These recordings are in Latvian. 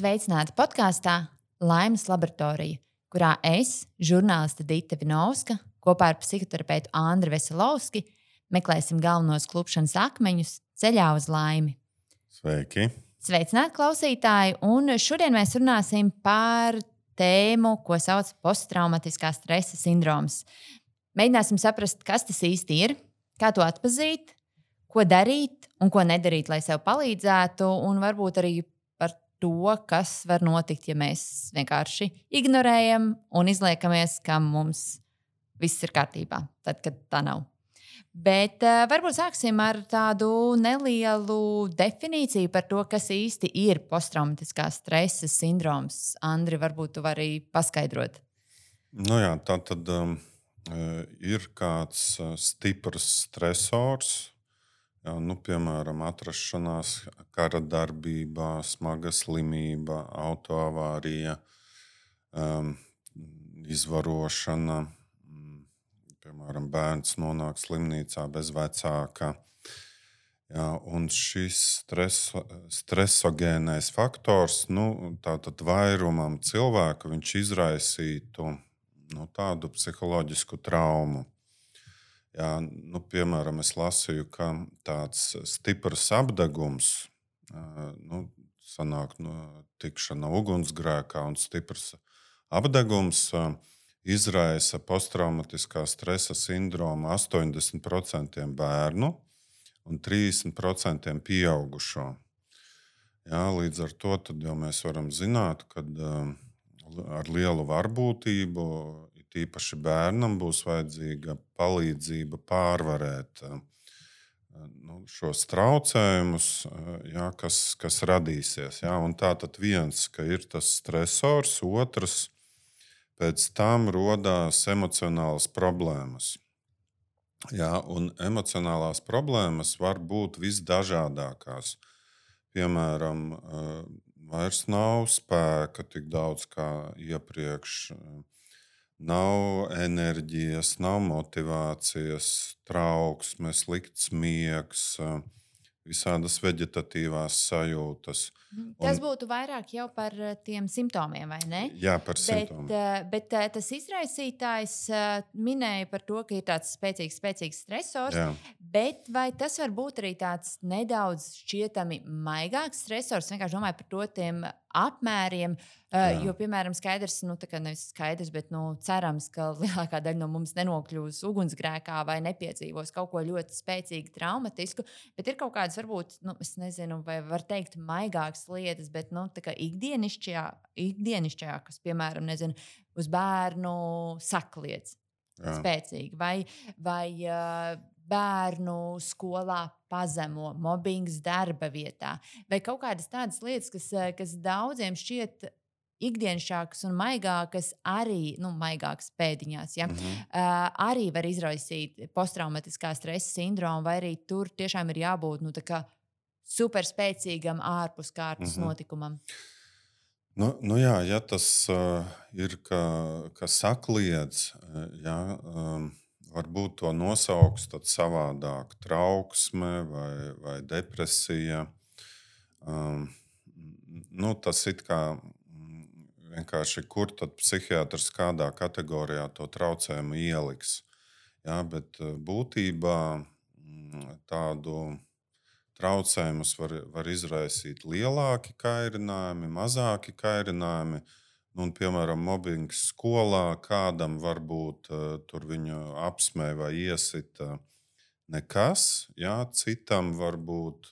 Sveicināti podkāstā Laimes laboratorija, kurā es, žurnāliste Dita Vinovska, kopā ar psihoterapeitu Andri Veselovski meklēsim galvenos klupšanas akmeņus ceļā uz laimi. Sveiki! Sveicināti klausītāji, un šodien mēs runāsim par tēmu, ko sauc posttraumatiskā stresa sindroms. Mēģināsim saprast, kas tas īsti ir, kā to atpazīt, ko darīt un ko nedarīt, lai sev palīdzētu, un varbūt arī par to, kas var notikt, ja mēs vienkārši ignorējam un izliekamies, ka mums viss ir kārtībā, tad, kad tā nav. Bet varbūt sāksim ar tādu nelielu definīciju par to, kas īsti ir posttraumatiskā stresa sindroms. Andri, varbūt tu vari paskaidrot. Nu jā, tā tad ir kāds stiprs stresors, jā, piemēram, atrašanās kara darbībā, smaga slimība, autoavārija, izvarošana. Piemēram, bērns nonāk slimnīcā bez vecāka. Jā, un šis stresogēnais faktors, tātad vairumam cilvēku viņš izraisītu tādu psiholoģisku traumu. Jā, piemēram, es lasīju, ka tāds stiprs apdegums, sanāk tikšana ugunsgrēkā un stiprs apdegums izraisa posttraumatiskā stresa sindroma 80% bērnu un 30% pieaugušo. Jā, līdz ar to jau mēs varam zināt, ka ar lielu varbūtību, tīpaši bērnam, būs vajadzīga palīdzība pārvarēt šos traucējumus, jā, kas radīsies. Jā. Un tātad viens, ka ir tas stresors, otrs, pēc tam rodās emocionālas problēmas. Jā, un emocionālās problēmas var būt visdažādākās. Piemēram, vairs nav spēka tik daudz kā iepriekš, nav enerģijas, nav motivācijas, trauksmes, slikts miegs, visādas veģetatīvās sajūtas. Tas būtu vairāk jau par tiem simptomiem, vai ne? Jā, par simptomiem. Bet tas izraisītājs minēja par to, ka ir tāds spēcīgs stresors, Jā. Bet vai tas var būt arī tāds nedaudz šķietami maigāks stresors? Vienkārši domāju par to tiem apmēriem, jo, piemēram, skaidrs, nevis skaidrs, bet cerams, ka lielākā daļa no mums nenokļūs ugunsgrēkā vai nepiedzīvos kaut ko ļoti spēcīgi traumatisku, bet ir kaut kādas, varbūt, es nezinu, vai var teikt maigākas lietas, bet ikdienišķajā, kas, piemēram, nezinu, uz bērnu sakliec spēcīgi, vai bērnu skolā pazemo, mobbings darba vietā, vai kaut kādas tādas lietas, kas daudziem šķiet ikdienišķākas un maigākas, arī maigākas pēdiņās, ja? Arī var izraisīt posttraumatiskā stresa sindromu, vai arī tur tiešām ir jābūt superspēcīgam ārpus kārtas notikumam. Jā, ja tas ir, ka sakliedz, jā, varbūt to nosauks tad savādāk, trauksme vai depresija. Tas it kā vienkārši, kur tad psihiatrs kādā kategorijā to traucējumu ieliks. Jā, bet būtībā tādu traucējumus var izraisīt lielāki kairinājumi, mazāki kairinājumi. Piemēram, mobbings skolā kādam varbūt tur viņu apsmēja vai iesita nekas. Jā, citam varbūt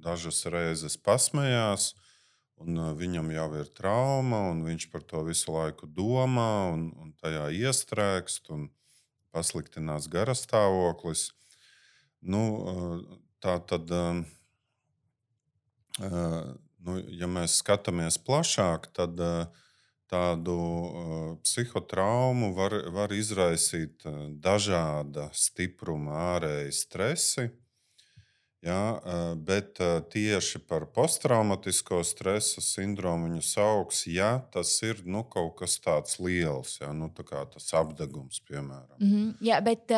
dažas reizes pasmējās, un viņam jau ir trauma, un viņš par to visu laiku domā, un tajā iestrēgst, un pasliktinās garastāvoklis. Tā tad, ja mēs skatāmies plašāk, tad tādu psihotraumu var izraisīt dažāda stipruma ārēji stresi, jā, bet tieši par posttraumatisko stresa sindromu viņu sauks, ja tas ir kaut kas tāds liels, jā, tā kā tas apdegums, piemēram. Jā, bet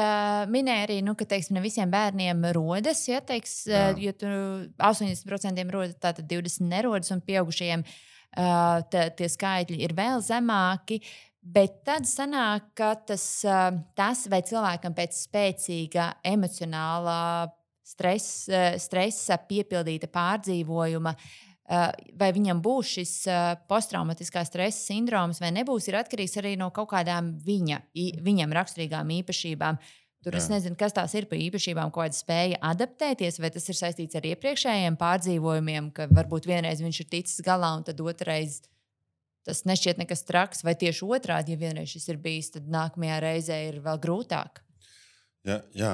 minēja arī, ka ne visiem bērniem rodas, ja tur 80% rodas, tātad 20% nerodas, un pieaugušajiem tie skaitļi ir vēl zemāki. Bet tad sanāk, ka tas vai cilvēkam pēc spēcīga emocionālā stresa piepildīta pārdzīvojuma, vai viņam būs šis posttraumatiskā stresa sindroms vai nebūs, ir atkarīgs arī no kaut kādām viņam raksturīgām īpašībām. Tur es nezinu, kas tās ir par īpašībām, ko viņš spēja adaptēties, vai tas ir saistīts ar iepriekšējiem pārdzīvojumiem, ka varbūt vienreiz viņš ir ticis galā un tad otrreiz tas nešķiet nekas traks, vai tieši otrādi, ja vienreiz šis ir bijis, tad nākamajā reizē ir vēl grūtāk. Jā,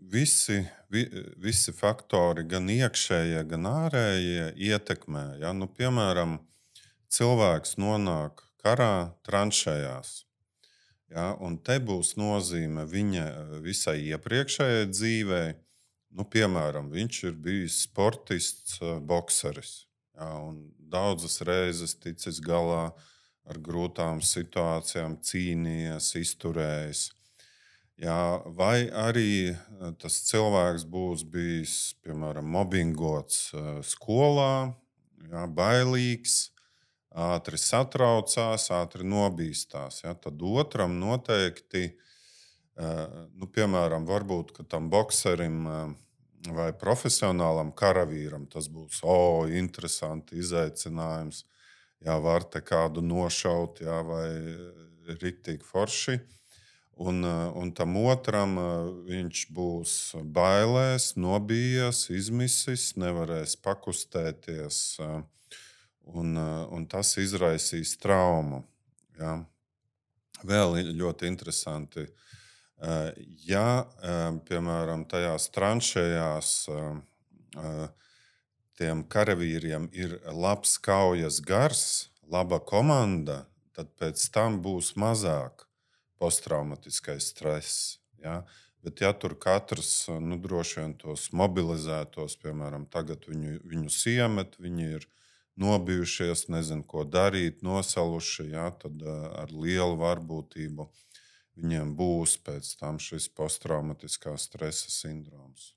visi faktori, gan iekšējie, gan ārējie, ietekmē. Ja? Piemēram, cilvēks nonāk karā tranšējās. Ja? Un te būs nozīme viņa visai iepriekšējai dzīvei. Piemēram, viņš ir bijis sportists, bokseris. Ja? Un daudzas reizes ticis galā ar grūtām situācijām, cīnījies, izturējis. Jā, vai arī tas cilvēks būs bijis, piemēram, mobbingots skolā, jā, bailīgs, ātri satraucās, ātri nobīstās. Jā. Tad otram noteikti, piemēram, varbūt tam bokserim vai profesionālam karavīram tas būs interesanti izaicinājums. Jā, var te kādu nošaut, jā, vai riktīgi forši. Un tam otram viņš būs bailēs, nobijies, izmisis, nevarēs pakustēties, un tas izraisīs traumu. Ja? Vēl ļoti interesanti, ja, piemēram, tajās tranšējās tiem karavīriem ir labs kaujas gars, laba komanda, tad pēc tam būs mazāk posttraumatiskais stress. Ja? Bet, ja tur katrs droši vien tos mobilizētos, piemēram, tagad viņus iemet, viņi ir nobijušies, nezinu, ko darīt, nosaluši, ja? Tad ar lielu varbūtību viņiem būs pēc tam šis posttraumatiskā stresa sindroms.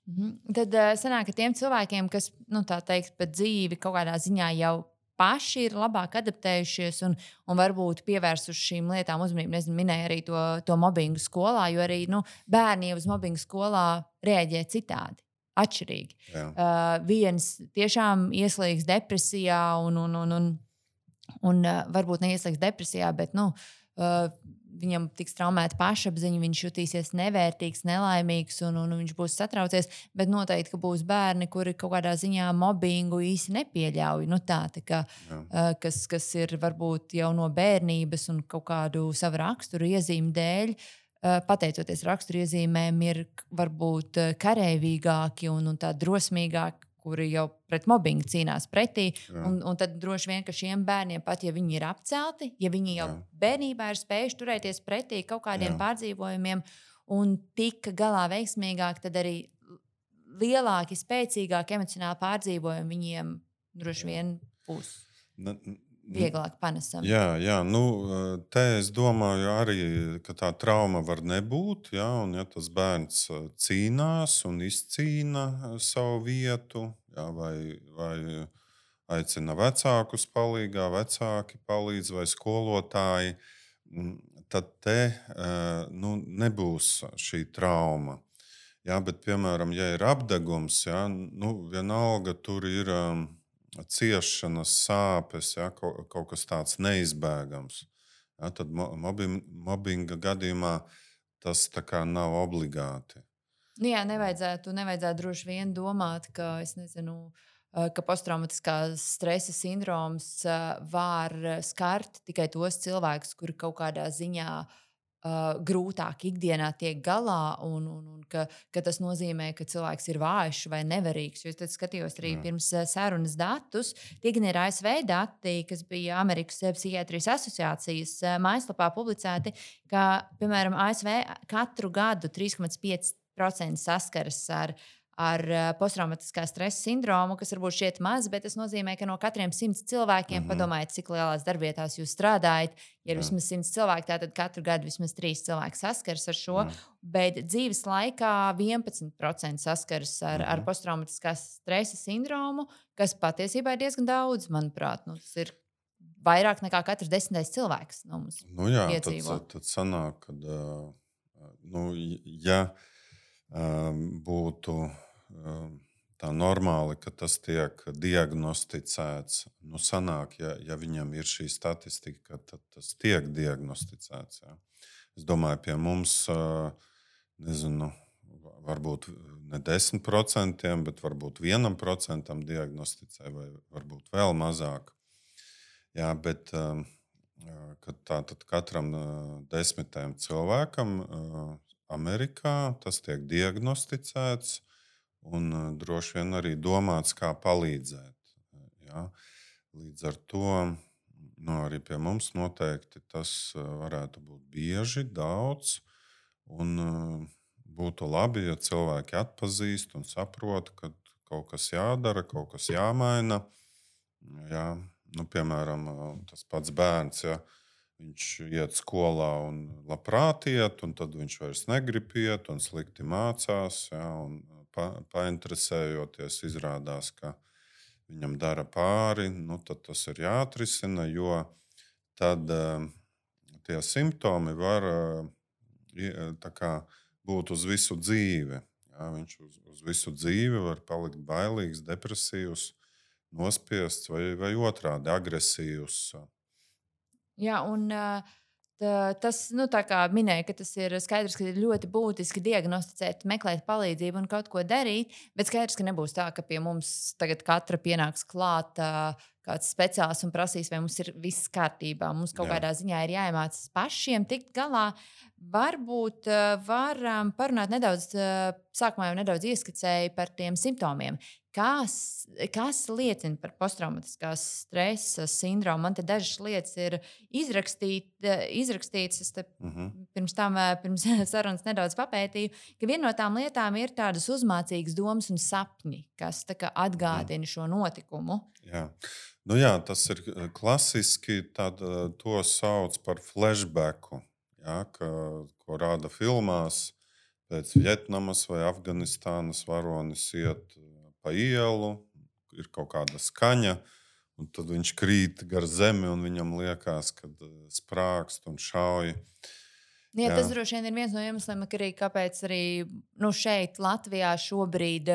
Tad sanāk, ka tiem cilvēkiem, kas, tā teikt, pa dzīvi kaut kādā ziņā jau paši ir labāk adaptējušies un varbūt pievērsuši šīm lietām uzmanību. Nezinu, minēja arī to mobbingu skolā, jo arī bērni uz mobbingu skolā reaģē citādi, atšķirīgi. Viens tiešām ieslīgs depresijā un varbūt neieslīgs depresijā, bet viņam tiks traumēta pašapziņa, viņš jutīsies nevērtīgs, nelaimīgs un viņš būs satraucies. Bet noteikti, ka būs bērni, kuri kaut kādā ziņā mobbingu īsti nepieļauj. Kas ir varbūt jau no bērnības un kaut kādu savu raksturu iezīmi dēļ, pateicoties raksturu iezīmēm, ir varbūt kareivīgāki un tā drosmīgāki, kuri jau pret mobbingu cīnās pretī. Un tad droši vien, ka šiem bērniem, pat ja viņi ir apcelti, ja viņi jau bērnībā ir spējuši turēties pretī kaut kādiem pārdzīvojumiem un tika galā veiksmīgāk, tad arī lielāki, spēcīgāki emocionāli pārdzīvojumi viņiem droši vien būs vieglāk panesami. Jā, te es domāju arī, ka tā trauma var nebūt, ja, un ja tas bērns cīnās un izcīna savu vietu, ja, vai aicina vecākus palīgā, vecāki palīdz vai skolotāji, tad te nebūs šī trauma. Ja, bet, piemēram, ja ir apdegums, ja, vienalga tur ir ciešanas, sāpes, ja, kaut kas tāds neizbēgams. Ja, tad mobbinga gadījumā tas tā kā nav obligāti. Jā, nevajadzētu droši vien domāt, ka, ka posttraumatiskā stresa sindroms var skart tikai tos cilvēkus, kuri kaut kādā ziņā grūtāk ikdienā tiek galā, un ka tas nozīmē, ka cilvēks ir vājš vai nevarīgs. Jo es skatījos arī pirms sarunas datus. Tie gan ir ASV dati, kas bija Amerikas Psihiatrijas asociācijas mājaslapā publicēti, ka, piemēram, ASV katru gadu 3,5% saskaras ar ar posttraumatiskā stresa sindromu, kas varbūt šķiet maz, bet tas nozīmē, ka no katriem 100 cilvēkiem, padomājiet, cik lielās darbvietās jūs strādājat. Ja ir Jā. vismaz 100 cilvēki, tad katru gadu vismaz 3 cilvēki saskars ar šo. Jā. Bet dzīves laikā 11% saskars ar posttraumatiskā stresa sindromu, kas patiesībā ir diezgan daudz, manuprāt. Nu, tas ir vairāk nekā katrs 10. cilvēks no mums Nu, jā, piedzīvo. tad sanāk, ka, ja būtu tā normāli, ka tas tiek diagnosticēts, nu, sanāk, ja viņam ir šī statistika, tad tas tiek diagnosticēts. Jā. Es domāju, pie mums, nezinu, varbūt ne 10%, bet varbūt 1% diagnosticē, vai varbūt vēl mazāk. Jā, bet tātad katram 10 cilvēkam Amerikā tas tiek diagnosticēts un droši vien arī domāts, kā palīdzēt. Jā. Līdz ar to arī pie mums noteikti tas varētu būt bieži, daudz. Un būtu labi, ja cilvēki atpazīst un saprot, ka kaut kas jādara, kaut kas jāmaina. Jā. Nu, piemēram, tas pats bērns, ja viņš iet skolā un labprāt iet, un tad viņš vairs negrib iet un slikti mācās. Ja, un painteresējoties, izrādās, ka viņam dara pāri, nu, tad tas ir jāatrisina, jo tad tie simptomi var būt uz visu dzīvi. Ja, viņš uz visu dzīvi var palikt bailīgs, depresīvs, nospiests vai otrādi agresīvs. Jā, un tas, tā kā minēja, ka tas ir skaidrs, ka ir ļoti būtiski diagnosticēt, meklēt palīdzību un kaut ko darīt, bet skaidrs, ka nebūs tā, ka pie mums tagad katra pienāks klāt kāds speciālists un prasīs, vai mums ir viss kārtībā. Mums kaut kādā ziņā ir jāiemācās pašiem tikt galā. Varbūt varam parunāt nedaudz, sākumā jau nedaudz ieskicēju par tiem simptomiem. Kas liecina par posttraumatiskās stresa sindromu? Man te dažas lietas ir izrakstītas. Es pirms sarunas nedaudz papētīju, ka viena no tām lietām ir tādas uzmācīgas domas un sapņi, kas atgādina šo notikumu. Jā. Nu jā, tas ir klasiski. To sauc par flashbacku, ja, ko rāda filmās. Pēc Vietnamas vai Afganistānas varonis iet pa ielu, ir kaut kāda skaņa, un tad viņš krīt gar zemi, un viņam liekas, ka sprākst un šauj. Jā, tas droši vien ir viens no iemesliem, kāpēc arī šeit, Latvijā, šobrīd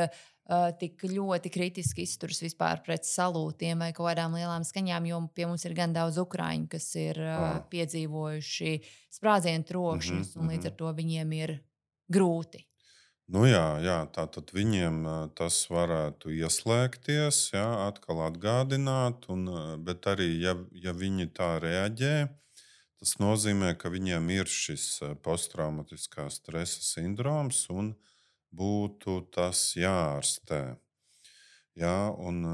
tik ļoti kritiski izturas vispār pret salūtiem vai kaut kādām lielām skaņām, jo pie mums ir gan daudz ukrāņu, kas ir piedzīvojuši sprādzienu trokšņus, un līdz ar to viņiem ir grūti. Nu jā, tātad viņiem tas varētu ieslēgties, jā, atkal atgādināt, bet arī, ja viņi tā reaģē, tas nozīmē, ka viņiem ir šis posttraumatiskā stresa sindroms un būtu tas jāārstē. Jā, un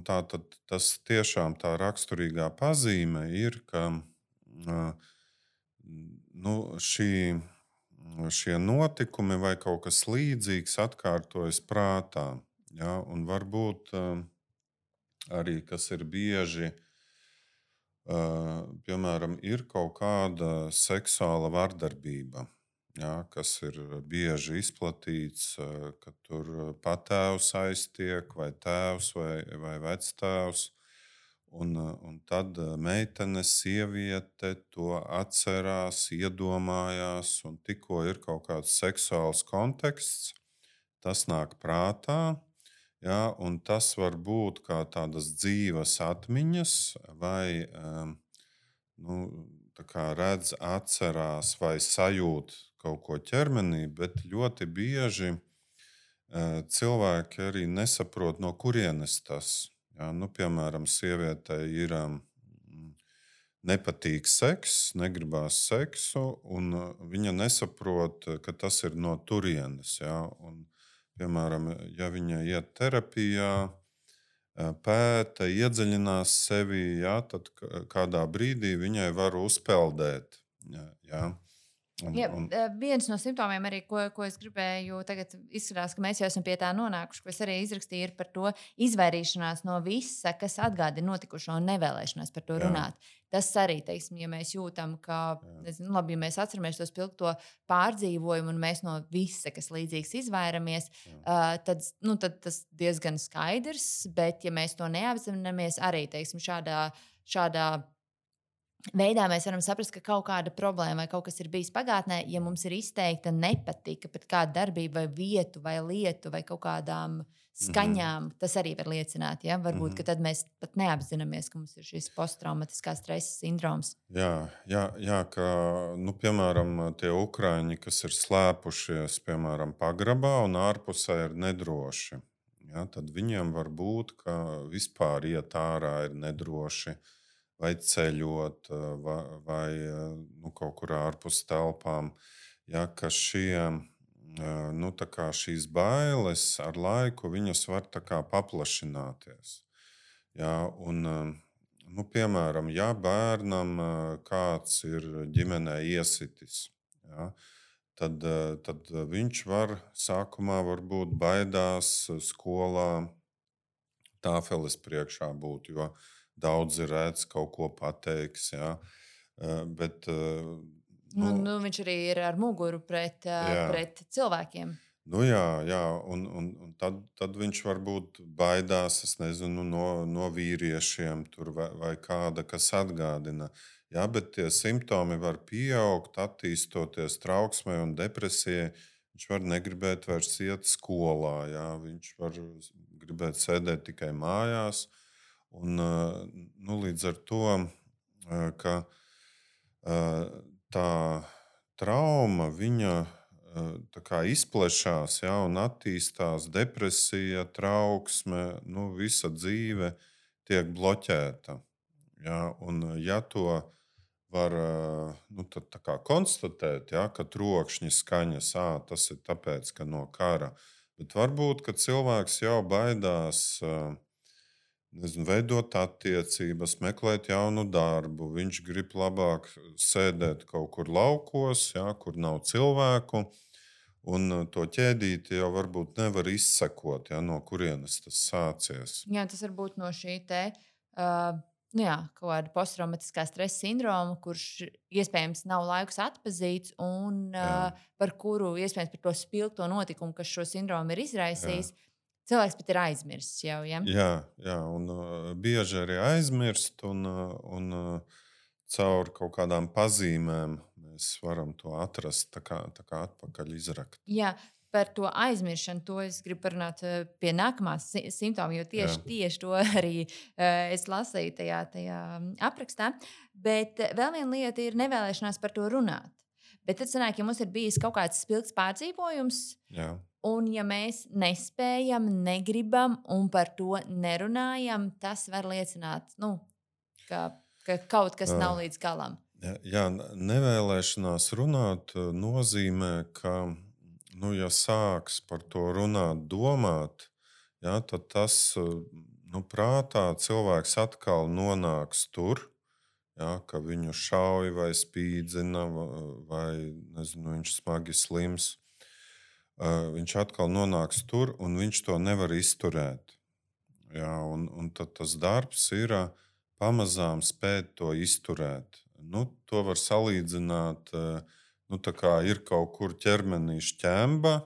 tas tiešām tā raksturīgā pazīme ir, ka šie notikumi vai kaut kas līdzīgs atkārtojas prātā. Ja? Un varbūt arī, kas ir bieži, piemēram, ir kaut kāda seksuāla vardarbība, ja? Kas ir bieži izplatīts, ka tur patēvs aiztiek, vai tēvs, vai vectēvs. Un tad meitene, sieviete to atcerās, iedomājās, un tikko ir kaut kāds seksuāls konteksts, tas nāk prātā. Ja, un tas var būt kā tādas dzīves atmiņas, vai redz, atcerās vai sajūt kaut ko ķermenī, bet ļoti bieži cilvēki arī nesaprot, no kurienes tas. Ja, piemēram, sievietei ir nepatīk seks, negribās seksu, un viņa nesaprot, ka tas ir no turienes. Ja, un, piemēram, ja viņa iet terapijā, pēta, iedziļinās sevī, ja, tad kādā brīdī viņai var uzpeldēt. Ja, Ja, viens no simptomiem, arī, ko es gribēju, tagad izskatās, ka mēs jau esam pie tā nonākuši, ko es arī izrakstīju, ir par to izvairīšanās no visa, kas atgādina notikušo un nevēlēšanās par to runāt. Tas arī, teiksim, ja mēs jūtam, ka, nezinu, labi, ja mēs atceramies to spilgto pārdzīvojumu un mēs no visa, kas līdzīgs, izvairamies, tad tas diezgan skaidrs, bet ja mēs to neapzināmies, arī, teiksim, šādā veidā mēs varam saprast, ka kaut kāda problēma vai kaut kas ir bijis pagātnē, ja mums ir izteikta nepatika pret kādu darbību, vai vietu, vai lietu, vai kaut kādām skaņām. Tas arī var liecināt. Ja? Varbūt tad mēs pat neapzināmies, ka mums ir šis posttraumatiskā stresa sindroms. Jā, ka, piemēram, tie ukraiņi, kas ir slēpušies, piemēram, pagrabā un ārpusē ir nedroši. Ja? Tad viņiem var būt, ka vispār iet ārā ir nedroši. Vai ceļot, vai kaut kur ārpus telpām. Ja, ka šīs bailes ar laiku viņas var paplašināties. Ja, un, piemēram, ja bērnam kāds ir ģimenē iesitis, ja, tad viņš var sākumā varbūt baidās skolā tāfeles priekšā būt, jo daudzi redz, kaut ko pateiks. Ja? Bet, viņš arī ir ar muguru pret cilvēkiem. Jā, un tad viņš varbūt baidās, es nezinu, no vīriešiem vai kāda, kas atgādina. Ja? Bet tie simptomi var pieaugt, attīstoties trauksmei un depresijai. Viņš var negribēt vairs iet skolā. Ja? Viņš var gribēt sēdēt tikai mājās. Un, līdz ar to, ka tā trauma viņa izplešās, ja, un attīstās depresija, trauksme, visa dzīve tiek bloķēta. Ja, un, ja to var konstatēt, ja, ka trokšņi skaņas, tas ir tāpēc, ka no kara, bet varbūt, ka cilvēks jau baidās veidot attiecības, meklēt jaunu darbu. Viņš grib labāk sēdēt kaut kur laukos, ja, kur nav cilvēku. Un to ķēdīti jau varbūt nevar izsekot, ja, no kurienes tas sācies. Jā, tas var būt no šī kaut kāda posttraumatiskā stresa sindroma, kurš iespējams nav laikus atpazīts un par kuru iespējams par to spilgto notikumu, kas šo sindromu ir izraisījis. Cilvēks pat ir aizmirsis jau. Ja? Jā, un bieži arī aizmirst, un caur kaut kādām pazīmēm mēs varam to atrast, tā kā atpakaļ izrakt. Jā, par to aizmiršanu, to es gribu parunāt pie nākamā simptoma, jo tieši to arī es lasīju tajā aprakstā. Bet vēl viena lieta ir nevēlēšanās par to runāt. Bet tad sanāk, ja mums ir bijis kaut kāds spilgts pārdzīvojums, un ja mēs nespējam, negribam un par to nerunājam, tas var liecināt, ka kaut kas nav līdz galam. Jā, nevēlēšanās runāt nozīmē, ka, ja sāks par to runāt, domāt, tad tas prātā cilvēks atkal nonāks tur, ka viņu šauj vai spīdzina, vai nezinu, viņš smagi slims. Viņš atkal nonāks tur, un viņš to nevar izturēt. Un tad tas darbs ir pamazām spēt to izturēt. To var salīdzināt, tā kā ir kaut kur ķermenī šķemba,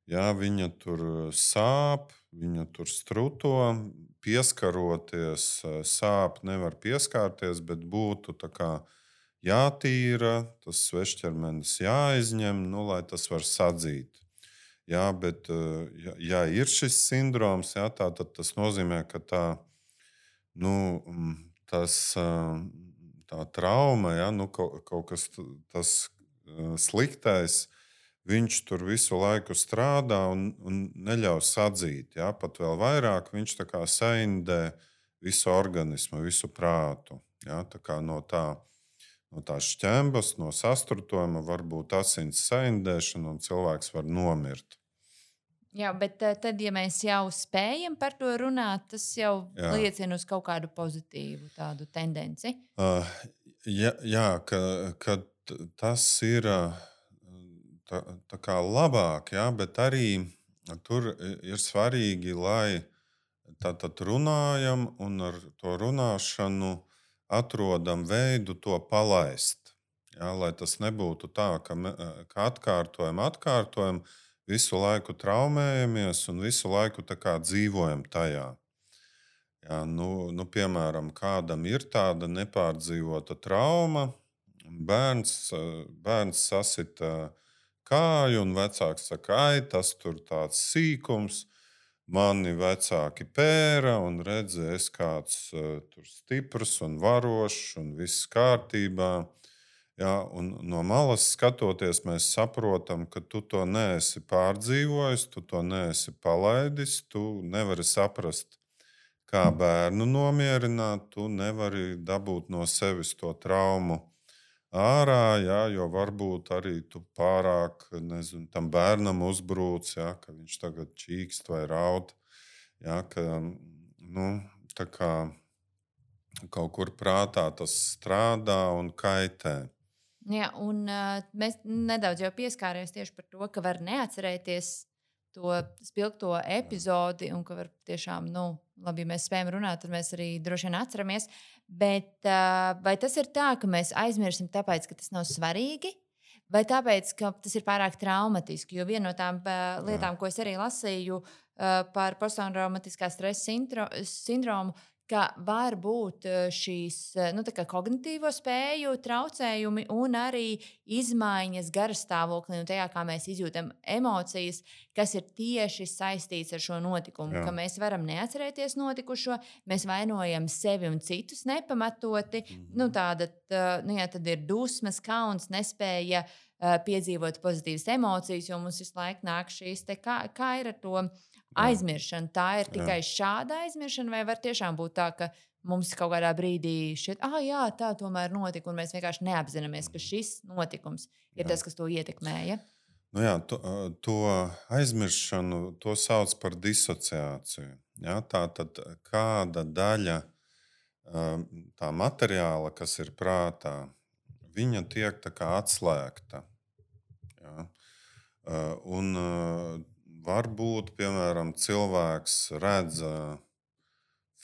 viņa tur sāp, viņa tur struto, pieskaroties, sāp nevar pieskārties, bet būtu tā kā jātīra, tas svešķermenis jāizņem, lai tas var sadzīt. Bet, ja ir šis sindroms, tad tas nozīmē, ka tā trauma, kaut kas tas sliktais, viņš tur visu laiku strādā un neļauj sadzīt. Pat vēl vairāk viņš tā kā saindē visu organismu, visu prātu. Tā kā no tās šķembas, no sastrutojuma var būt asins saindēšana un cilvēks var nomirt. Jā, bet tad, ja mēs jau spējam par to runāt, tas jau liecina uz kaut kādu pozitīvu tādu tendenci. Kad tas ir tā kā labāk, jā, bet arī tur ir svarīgi, lai tātad runājam un ar to runāšanu atrodam veidu to palaist. Jā, lai tas nebūtu tā, ka atkārtojam, visu laiku traumējamies un visu laiku tā kā dzīvojam tajā. Jā, piemēram, kādam ir tāda nepārdzīvota trauma, bērns sasita kāju, un vecāks saka, ai, tas tur tāds sīkums. Mani vecāki pēra, un redzēja, es kāds tur stiprs un varošs, un viss kārtībā. Jā, un no malas skatoties, mēs saprotam, ka tu to neesi pārdzīvojis, tu to neesi palaidis, tu nevari saprast, kā bērnu nomierināt, tu nevari dabūt no sevis to traumu ārā, jā, jo varbūt arī tu pārāk, nezinu, tam bērnam uzbrūc, jā, ka viņš tagad čīkst vai raud. Jā, tā kā kaut kur prātā tas strādā un kaitē. Jā, un mēs nedaudz jau pieskārāmies tieši par to, ka var neatcerēties to spilgto epizodi, un ka var tiešām, labi, ja mēs spējam runāt, tad mēs arī droši vien atceramies. Bet vai tas ir tā, ka mēs aizmirsim tāpēc, ka tas nav svarīgi, vai tāpēc, ka tas ir pārāk traumatiski? Jo viena no tām lietām, ko es arī lasīju par posttraumatiskā stresa sindromu, ka var būt šīs kognitīvo spēju traucējumi un arī izmaiņas garastāvoklī un tajā, kā mēs izjūtam emocijas, kas ir tieši saistīts ar šo notikumu. Ka mēs varam neatcerēties notikušo, mēs vainojam sevi un citus nepamatoti. Tad ir dusmas, kauns, nespēja piedzīvot pozitīvas emocijas, jo mums visu laiku nāk šīs kā ir ar to aizmiršana. Tā ir tikai šāda aizmiršana, vai var tiešām būt tā, ka mums kaut kādā brīdī šķiet, jā, tā tomēr notika, un mēs vienkārši neapzināmies, ka šis notikums ir tas, kas to ietekmēja? To aizmiršanu to sauc par disociāciju. Jā, tā tad kāda daļa tā materiāla, kas ir prātā, viņa tiek tā kā atslēgta. Jā. Un varbūt, piemēram, cilvēks redz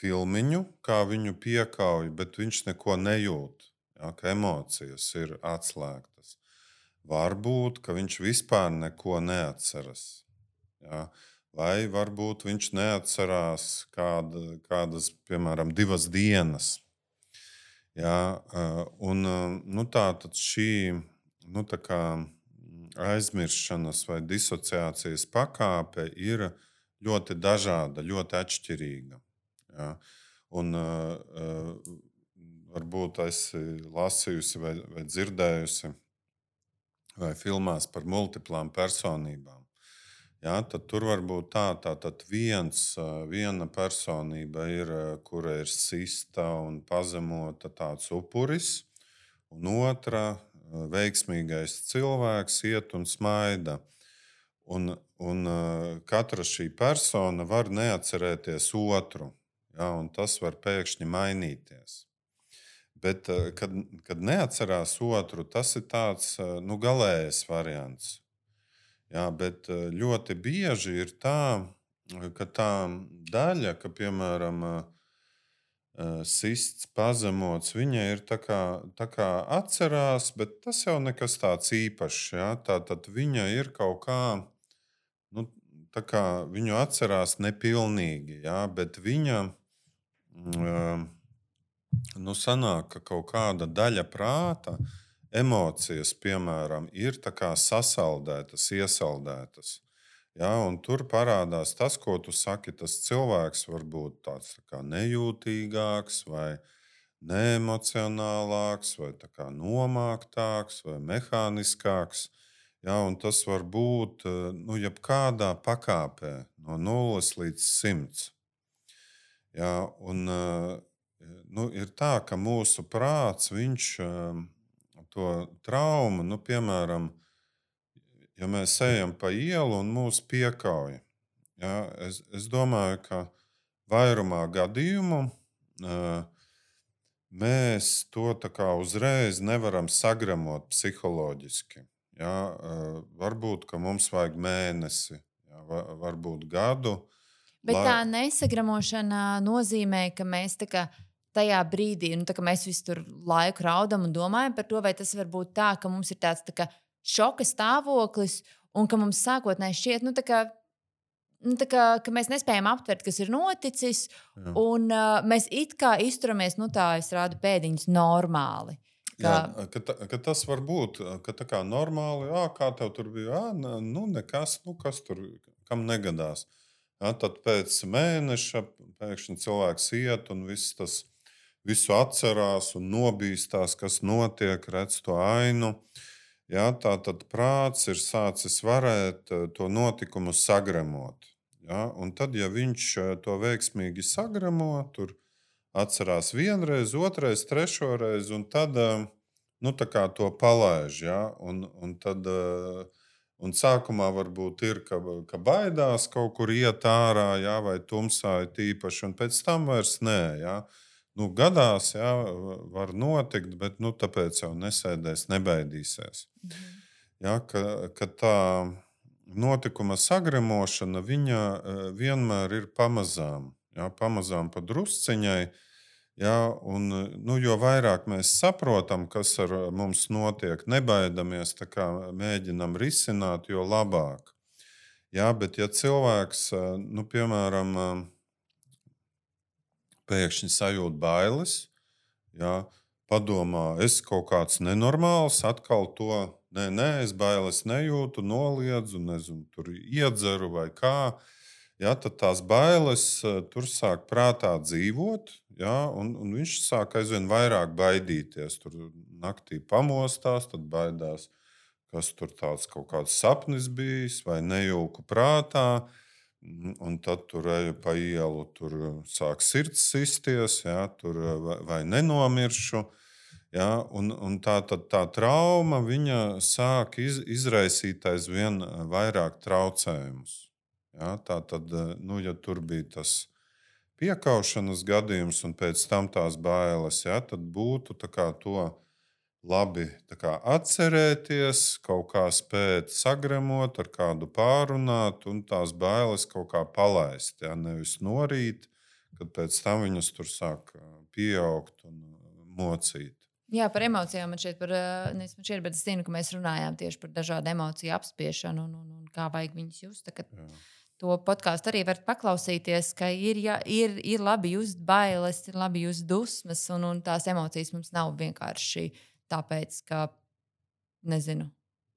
filmiņu, kā viņu piekauj, bet viņš neko nejūt, jā, ka emocijas ir atslēgtas. Varbūt, ka viņš vispār neko neatceras. Jā. Vai varbūt viņš neatcerās kādas, piemēram, 2 dienas. Jā, tā tad šī aizmiršanas vai disociācijas pakāpe ir ļoti dažāda, ļoti atšķirīga. Jā. Un varbūt esi lasījusi vai dzirdējusi vai filmās par multiplām personībām. Jā, tad tur var būt tātad viena personība ir, kura ir sista un pazemota, tāds upuris, un otra veiksmīgais cilvēks iet un smaida. Un katra šī persona var neatcerēties otru, jā, un tas var pēkšņi mainīties. Bet, kad neatcerās otru, tas ir tāds galējs variants. Jā, bet ļoti bieži ir tā, ka tā daļa, ka, piemēram, sists, pazemots, viņa ir tā kā atcerās, bet tas jau nekas tāds īpašs. Jā. Tātad viņa ir kaut kā, tā kā viņu atcerās nepilnīgi, jā, bet viņa sanāk, ka kaut kāda daļa prāta, emocijas, piemēram, ir tā kā sasaldētas, iesaldētas. Jā, un tur parādās tas, ko tu saki. Tas cilvēks var būt tāds tā kā nejūtīgāks, vai neemocionālāks, vai tā kā nomāktāks, vai mehāniskāks. Jā, un tas var būt jebkādā pakāpē, no 0 līdz 100. Jā, un ir tā, ka mūsu prāts, viņš to traumu, piemēram, ja mēs ejam pa ielu un mūs piekauj, jā, es domāju, ka vairumā gadījumu mēs to tā kā uzreiz nevaram sagramot psiholoģiski. Jā, varbūt, ka mums vajag mēnesi, jā, varbūt gadu. Bet tā nesagramošana nozīmē, ka mēs tā kā tajā brīdī, tā kā mēs visu tur laiku raudam un domājam par to, vai tas var būt tā, ka mums ir tāds tā kā šoka stāvoklis un ka mums sākotnēji šķiet, ka mēs nespējam aptvert, kas ir noticis, Jā. un mēs it kā izturamies, tā es rādu pēdiņas normāli. Ka tas var būt tā kā normāli, kā tev tur bija, nekas, kas tur, kam negadās. Ja, tad pēc mēneša pēkšņi cilvēks iet un visu atcerās un nobīstās, kas notiek, redz to ainu. Ja, tā tad prāts ir sācis varēt to notikumu sagremot. Ja, un tad, ja viņš to veiksmīgi sagremo, tur atcerās vienreiz, otrais, trešoreiz, un tad to palaiž. Ja? Un sākumā varbūt ir, ka baidās kaut kur iet ārā, ja? Vai tumsā ir tīpaši, un pēc tam vairs nē. Ja? Gadās, ja? Var notikt, bet tāpēc jau nesēdēs, nebaidīsies. Ja? Ka tā notikuma sagremošana, viņa vienmēr ir pamazām. Ja? Pamazām pa drusciņai. Ja, un, jo vairāk mēs saprotam, kas ar mums notiek, nebaidamies, mēģinam risināt, jo labāk. Ja, bet, ja cilvēks, piemēram, pēkšņi sajūt bailes, ja, padomā, es kaut kāds nenormāls, atkal to, es bailes nejūtu, noliedzu, nezinu, tur iedzeru vai kā. Ja, tad tās bailes tur sāk prātā dzīvot, ja, un viņš sāk aizvien vairāk baidīties. Tur naktī pamostās, tad baidās, kas tur tāds kaut kāds sapnis bijis vai nejauku prātā. Un tad tur eju pa ielu, tur sāk sirds sisties, ja, tur vai nenomiršu. Ja, un tā trauma viņa sāk izraisīt aizvien vairāk traucējumus. Ja, tā tad, ja tur bija tas piekaušanas gadījums un pēc tam tās bailes, ja, tad būtu to labi atcerēties, kaut kā spēt sagremot, ar kādu pārunāt un tās bailes kaut kā palaist. Ja, nevis norīt, kad pēc tam viņas tur sāk pieaugt un mocīt. Jā, par emocijām man šeit, bet es zinu, ka mēs runājām tieši par dažādu emociju apspiešanu un kā vajag viņus just. To podkāstu arī varat paklausīties, ka ir labi just bailes, ir labi just dusmas, un tās emocijas mums nav vienkārši tāpēc, ka, nezinu,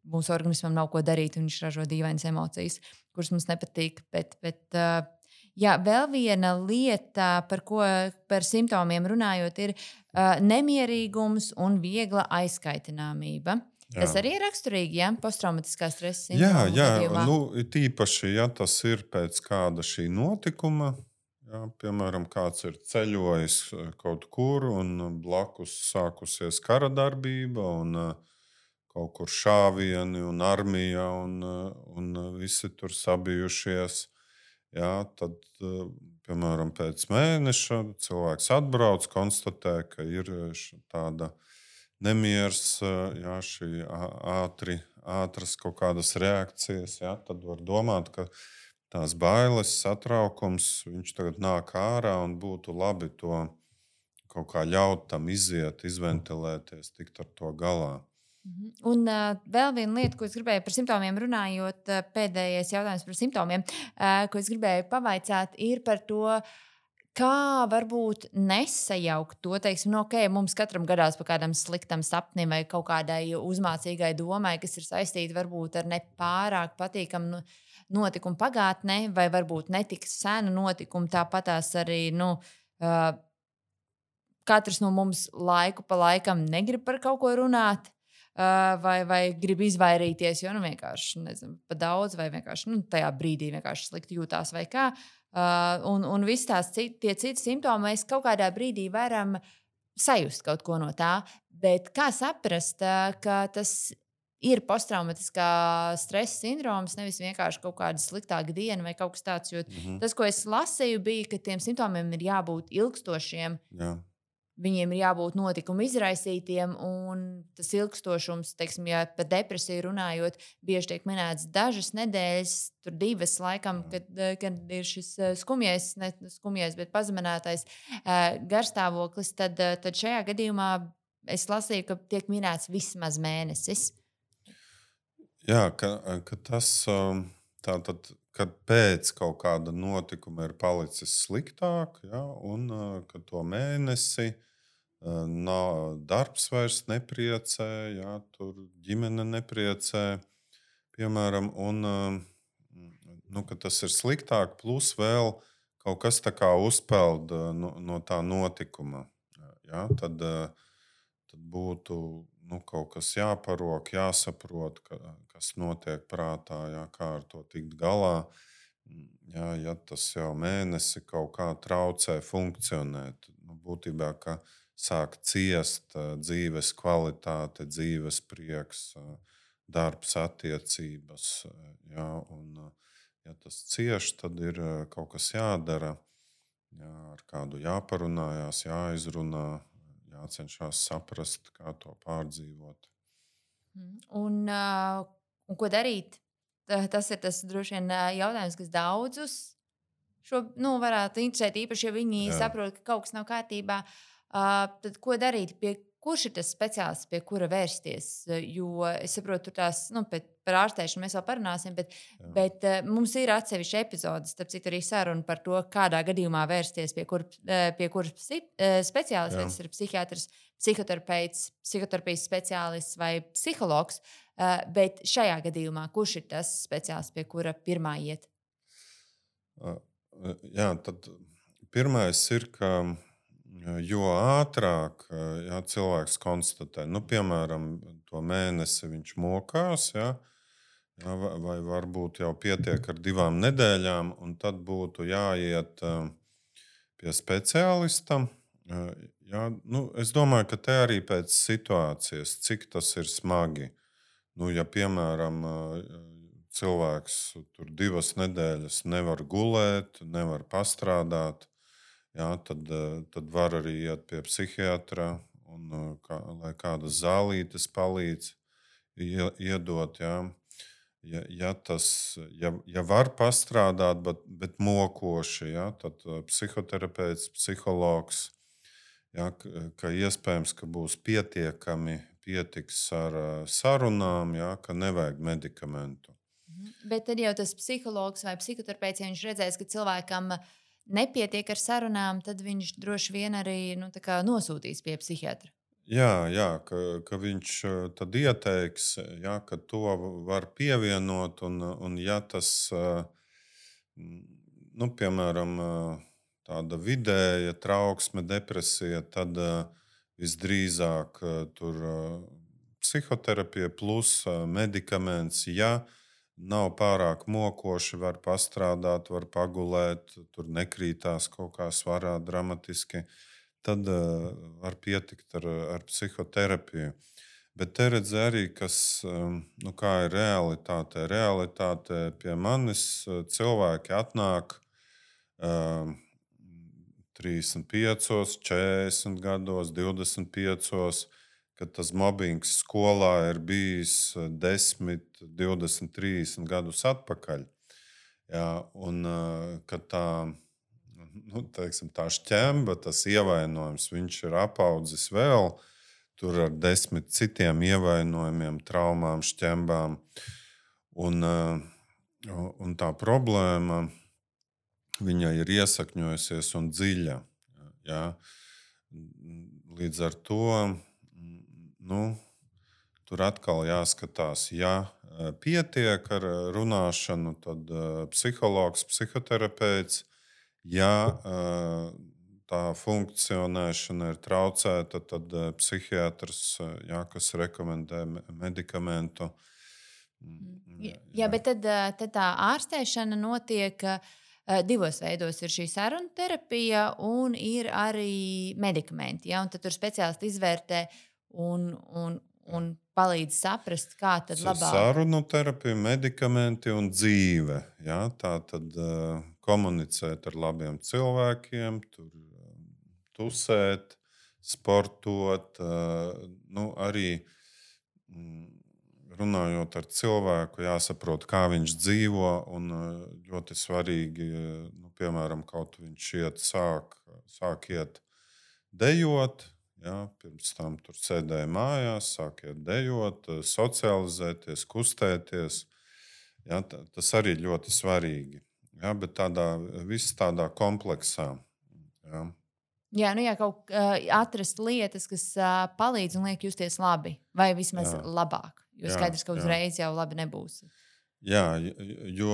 mūsu organismam nav ko darīt, un viņš ražo dīvainas emocijas, kuras mums nepatīk. Bet vēl viena lieta, par simptomiem runājot, ir nemierīgums un viegla aizkaitināmība. Jā. Tas arī ir raksturīgi, ja posttraumatiskā stresa sindroma gadījumā. Tīpaši, ja tas ir pēc kāda šī notikuma, ja, piemēram, kāds ir ceļojis kaut kur un blakus sākusies kara darbība un kaut kur šāvieni un armija un visi tur sabijušies. Ja, tad, piemēram, pēc mēneša cilvēks atbrauc, konstatē, ka ir tāda nemieris, jā, šī ātras kaut kādas reakcijas, jā, tad var domāt, ka tās bailes, satraukums, viņš tagad nāk ārā un būtu labi to kaut kā ļaut tam iziet, izventilēties, tikt ar to galā. Un vēl viena lieta, ko es gribēju par simptomiem runājot, pēdējais jautājums par simptomiem, ko es gribēju pavaicāt, ir par to, kā varbūt nesajaukt to, teiksim, mums katram gadās par kādam sliktam sapnim vai kaut kādai uzmācīgai domai, kas ir saistīta varbūt ar nepārāk patīkamu notikumu pagātnē, vai varbūt netik senu notikumu. Tāpatās arī katrs no mums laiku pa laikam negrib par kaut ko runāt. Vai grib izvairīties, jo vienkārši nezinu, pa daudz, vai vienkārši tajā brīdī vienkārši slikti jūtās, vai kā. Un viss tie citi simptomi mēs kaut kādā brīdī varam sajust kaut ko no tā. Bet kā saprast, ka tas ir posttraumatiskā stresa sindroms, nevis vienkārši kaut kāda sliktāka diena vai kaut kas tāds? Jo tas, ko es lasīju, bija, ka tiem simptomiem ir jābūt ilgstošiem. Jā. viņiem ir jābūt notikumu izraisītiem, un tas ilgstošums, teiksim, ja par depresiju runājot, bieži tiek minēts dažas nedēļas, tur 2 laikam, kad ir šis skumjais, ne skumjais, bet pazeminētais garstāvoklis, tad šajā gadījumā es lasīju, ka tiek minēts vismaz mēnesis. Jā, ka tas tātad, kad pēc kaut kāda notikuma ir palicis sliktāk, ja, un ka to mēnesi nav darbs vairs nepriecē, ja, tur ģimene nepriecē, piemēram, un ka tas ir sliktāk, plus vēl kaut kas tā kā uzpeld no tā notikuma. Ja, tad būtu kaut kas jāparok, jāsaprot, kas notiek prātā, ja, kā ar to tikt galā. Ja tas jau mēnesi kaut kā traucē funkcionēt, būtībā sāk ciest dzīves kvalitāte, dzīves prieks, darbs, attiecības. Ja, un, ja tas cieš, tad ir kaut kas jādara. Ja, ar kādu jāparunājās, jāizrunā, jācenšas saprast, kā to pārdzīvot. Un ko darīt? Tas ir tas droši vien jautājums, kas daudzus varētu interesēt, īpaši, ja viņi saprot, ka kaut kas nav kārtībā. Tad ko darīt? Kurš ir tas speciālists, pie kura vērsties? Jo es saprotu, par ārstēšanu mēs vēl parunāsim, bet mums ir atsevišķa epizode, starp citu, arī saruna par to, kādā gadījumā vērsties pie kuras speciālista, vai tas ir psihiatrs, psihoterapeits, psihoterapijas speciālists vai psihologs. Bet šajā gadījumā, kurš ir tas speciālists, pie kura pirmā iet? Jā, tad pirmais ir, ka jo ātrāk cilvēks konstatē, piemēram, to mēnesi viņš mokās, vai varbūt jau pietiek ar 2 nedēļām, un tad būtu jāiet pie speciālista. Es domāju, ka te arī pēc situācijas, cik tas ir smagi. Ja, piemēram, cilvēks tur 2 nedēļas nevar gulēt, nevar pastrādāt, tad var arī iet pie psihiatra, lai kādas zālītes palīdz iedot. Ja var pastrādāt, bet mokoši, tad psihoterapeits, psihologs, ka iespējams, ka būs pietiks ar sarunām, ka nevajag medikamentu. Bet tad jau tas psihologs vai psihoterapeits, ja viņš redzēs, ka cilvēkam nepietiek ar sarunām, tad viņš droši vien arī nosūtīs pie psihiatra. Jā, ka viņš tad ieteiks, ka to var pievienot, un ja tas, piemēram, tāda vidēja trauksme, depresija, tad visdrīzāk tur psihoterapija plus medikaments. Ja nav pārāk mokoši, var pastrādāt, var pagulēt, tur nekrītās kaut kā svarā dramatiski, tad var pietikt ar psihoterapiju. Bet te redz arī, kā ir realitāte. Realitāte pie manis cilvēki atnāk 35, 40 gados, 25, kad tas mobbings skolā ir bijis 10, 20, 30 gadus atpakaļ. Un kad tā šķemba, tas ievainojums, viņš ir apaudzis vēl tur ar 10 citiem ievainojumiem, traumām, šķembām. Un tā problēma, viņa ir iesakņojusies un dziļa. Līdz ar to tur atkal jāskatās, ja pietiek ar runāšanu, tad psihologs, psihoterapeits. Ja tā funkcionēšana ir traucēta, tad psihiatrs, kas rekomendē medikamentu. Jā, bet tad tā ārstēšana notiek 2 veidos. Ir šī sarunu terapija un ir arī medikamenti. Un tad tur speciālisti izvērtē un palīdz saprast, kā tad labāk. Sarunu terapija, medikamenti un dzīve. Tā tad komunicēt ar labiem cilvēkiem, tur tusēt, sportot, arī runājot ar cilvēku, jāsaprot, kā viņš dzīvo. Un ļoti svarīgi, piemēram, kaut viņš sāk iet dejot. Ja, pirms tam tur sēdēja mājās, sāk iet dejot, socializēties, kustēties. Ja, tas arī ļoti svarīgi. Ja, bet viss tādā kompleksā. Ja. Jā, nu jā, atrast lietas, kas palīdz un liek justies labi, vai vismaz Jā. labāk. Jo skaidrs, ka uzreiz jau labi nebūs. Jā, jo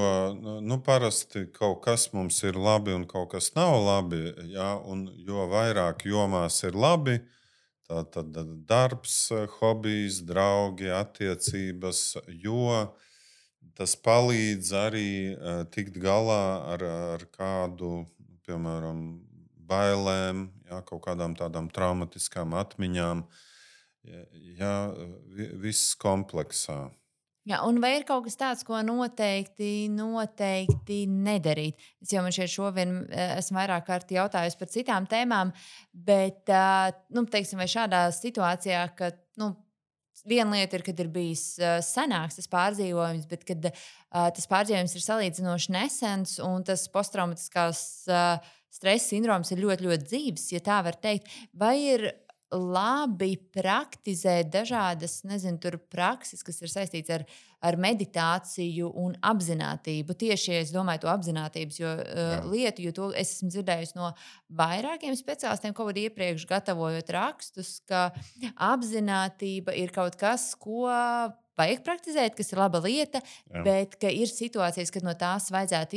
parasti kaut kas mums ir labi un kaut kas nav labi. Jā, un jo vairāk jomās ir labi, tad darbs, hobijs, draugi, attiecības, jo tas palīdz arī tikt galā ar kādu, piemēram, bailēm, jā, kaut kādām tādām traumatiskām atmiņām. Jā, viss kompleksā. Jā, un vai ir kaut kas tāds, ko noteikti nedarīt? Es jau man šeit šovien esmu vairāk kārt jautājusi par citām tēmām, bet, teiksim, vai šādā situācijā, ka, viena lieta ir, kad ir bijis senāks tas pārdzīvojums, bet kad tas pārdzīvojums ir salīdzinoši nesens un tas posttraumatiskās stresa sindroms ir ļoti, ļoti dzīves, ja tā var teikt, vai ir labi praktizēt dažādas, prakses, kas ir saistītas ar meditāciju un apziņotību. Tieši es domāju, to apziņotības lietu, jo to es esmu dzirdējusi no vairākiem speciālistiem, kaut kad iepriekš gatavojot rakstus, ka apziņotība ir kaut kas, ko vajag praktizēt, kas ir laba lieta, bet ka ir situācijas, kad no tās vajadzētu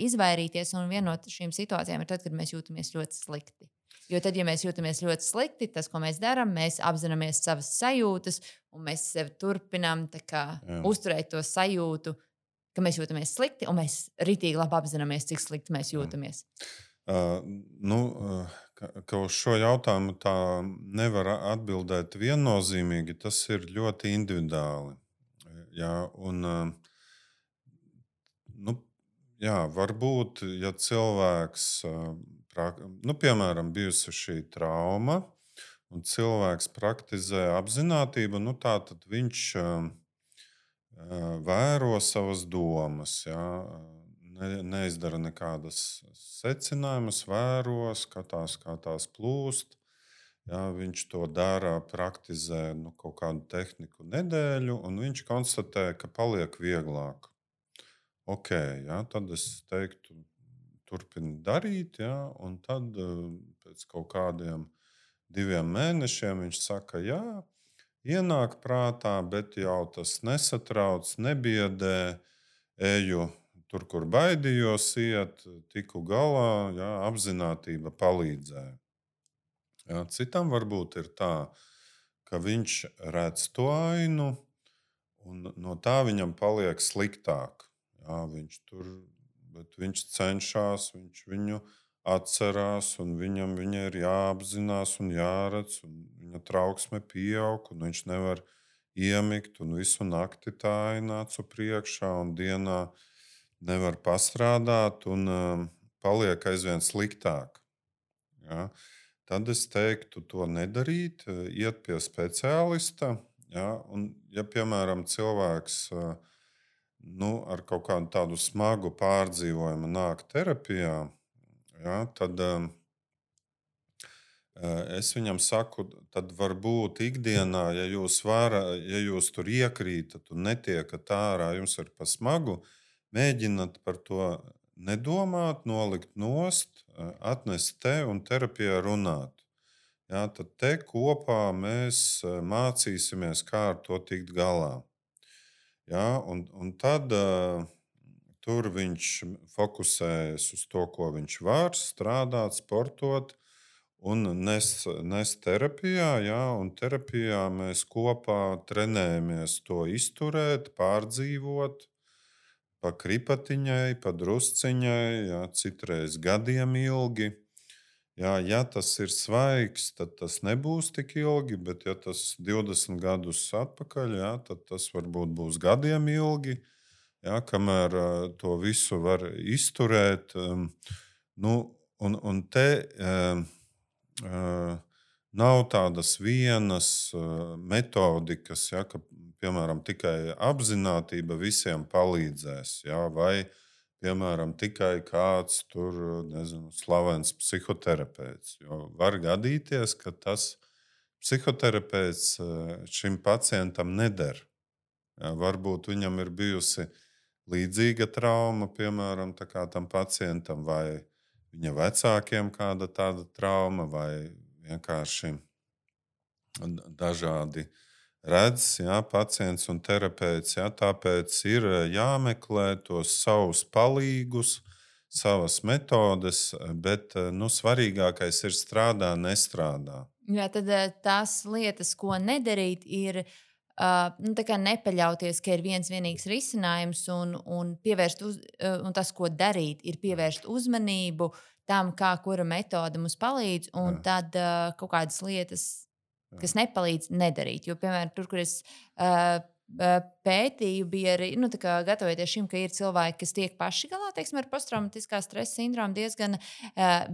izvairīties. Un viena no šīm situācijām ir tad, kad mēs jūtamies ļoti slikti. Jo tad, ja mēs jūtamies ļoti slikti, tas, ko mēs darām, mēs apzināmies savas sajūtas, un mēs sev turpinām uzturēt to sajūtu, ka mēs jūtamies slikti, un mēs ritīgi labi apzināmies, cik slikti mēs jūtamies. Ka uz šo jautājumu tā nevar atbildēt viennozīmīgi. Tas ir ļoti individuāli. Jā, un, varbūt, ja cilvēks. Piemēram, bijusi šī trauma, un cilvēks praktizē apziņotību, tad viņš vēro savas domas. Ja? Neizdara nekādas secinājumus, vēro, skatās, kā tās plūst. Ja? Viņš to dara, praktizē kaut kādu tehniku nedēļu, un viņš konstatē, ka paliek vieglāk. Ja? Tad es teiktu, turpina darīt, ja, un tad pēc kaut kādiem 2 mēnešiem viņš saka, jā, ienāk prātā, bet jau tas nesatrauc, nebiedē, eju tur, kur baidījos iet, tiku galā, jā, apziņotība palīdzēja. Jā, citam varbūt ir tā, ka viņš redz to ainu, un no tā viņam paliek sliktāk. Jā, bet viņš cenšas, viņš viņu atcerās, un viņam ir jāapzinās un jāredz, un viņa trauksme pieaug, un viņš nevar iemigt, un visu nakti tā aina acu priekšā, un dienā nevar pastrādāt, un paliek aizvien sliktāk. Ja? Tad es teiktu, to nedarīt, iet pie speciālista. Ja? Un, ja, piemēram, cilvēks ar kaut kādu tādu smagu pārdzīvojumu nāk terapijā, ja, tad es viņam saku, tad varbūt ikdienā, ja jūs tur iekrītat un netiekat ārā, jums ir pa smagu, mēģināt par to nedomāt, nolikt nost, atnest te un terapijā runāt. Ja, tad te kopā mēs mācīsimies, kā ar to tikt galā. Ja, un tad tur viņš fokusējas uz to, ko viņš var, strādāt, sportot un nes terapijā. Ja, un terapijā mēs kopā trenējamies to izturēt, pārdzīvot, pa kripatiņai, pa drusciņai, ja, citreiz gadiem ilgi. Ja tas ir svaigs, tad tas nebūs tik ilgi, bet ja tas 20 gadus atpakaļ, tad tas varbūt būs gadiem ilgi, kamēr to visu var izturēt. Un te Nav tādas vienas metodikas, ja, ka, piemēram, tikai apzinātība visiem palīdzēs. Ja, vai, piemēram, tikai kāds tur, nezinu, slavens psihoterapeits. Jo var gadīties, ka tas psihoterapeits šim pacientam neder. Ja, varbūt viņam ir bijusi līdzīga trauma, piemēram, tā kā tam pacientam, vai viņa vecākiem kāda tāda trauma, vai vienkārši dažādi redz, ja, pacients un terapeits. Ja, tāpēc ir jāmeklē tos savus palīgus, savas metodes, bet svarīgākais ir strādā, nestrādā. Jā, tad tās lietas, ko nedarīt, ir tā kā nepaļauties, ka ir viens vienīgs risinājums, un un tas, ko darīt, ir pievērst uzmanību tam, kā kura metode mums palīdz, un Jā, tad kaut kādas lietas, jā, kas nepalīdz, nedarīt. Jo, piemēram, tur, kur es pētīju, bija arī nu, tā kā gatavoties šim, ka ir cilvēki, kas tiek paši galā teiksim, ar posttraumatiskā stresa sindromu diezgan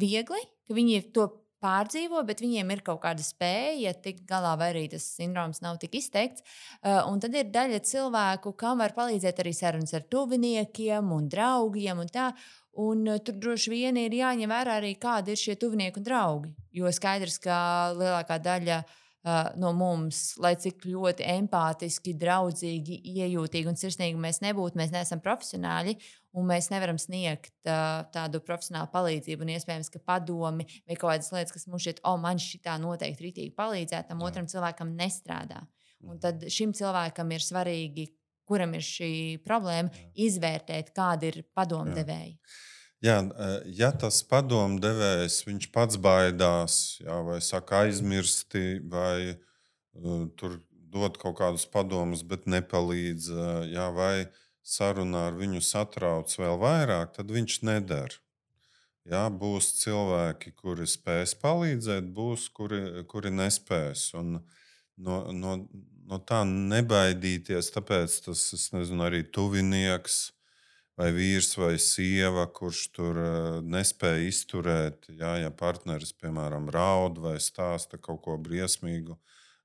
viegli, ka viņi to pārdzīvo, bet viņiem ir kaut kāda spēja tikt galā, vai arī tas sindroms nav tik izteikts. Un tad ir daļa cilvēku, kam var palīdzēt arī sarunas ar tuviniekiem un draugiem. Un tā. Un tur droši vien ir jāņem vērā arī, kādi ir šie tuvinieki un draugi. Jo skaidrs, ka lielākā daļa no mums, lai cik ļoti empātiski, draudzīgi, iejūtīgi un sirsnīgi mēs nebūtu, mēs neesam profesionāļi. Un mēs nevaram sniegt tādu profesionālu palīdzību. Un iespējams, ka padomi vai kaut kādas lietas, kas mums šķiet, man šitā noteikti rītīgi palīdzētu, tam jā. otram cilvēkam nestrādā. Un Mhm. tad šim cilvēkam ir svarīgi, kuram ir šī problēma, izvērtēt, kādi ir padomdevēji. Jā, ja tas padomdevējs viņš pats baidās, jā, vai saka aizmirsti, vai tur dod kaut kādus padomus, bet nepalīdz, jā, vai sarunā ar viņu satrauc vēl vairāk, tad viņš nedara. Jā, būs cilvēki, kuri spēs palīdzēt, būs, kuri nespēs. Un no tā nebaidīties, tāpēc tas, es nezinu, arī tuvinieks vai vīrs vai sieva, kurš tur nespēja izturēt, jā, ja partneris, piemēram, raud vai stāsta kaut ko briesmīgu.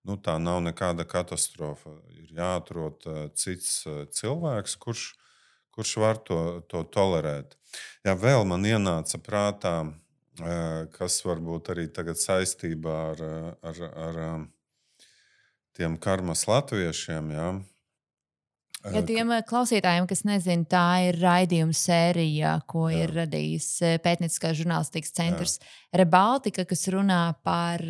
Tā nav nekāda katastrofa. Ir jāatrod cits cilvēks, kurš var to tolerēt. Jā, vēl man ienāca prātā, kas varbūt arī tagad saistībā ar tiem karmas latviešiem. Jā, Ja tiem klausītājiem, kas nezina, tā ir raidījuma sērija, ko Jā. ir radījis pētnieciskās žurnālistikas centrs Jā. Rebaltika, kas runā par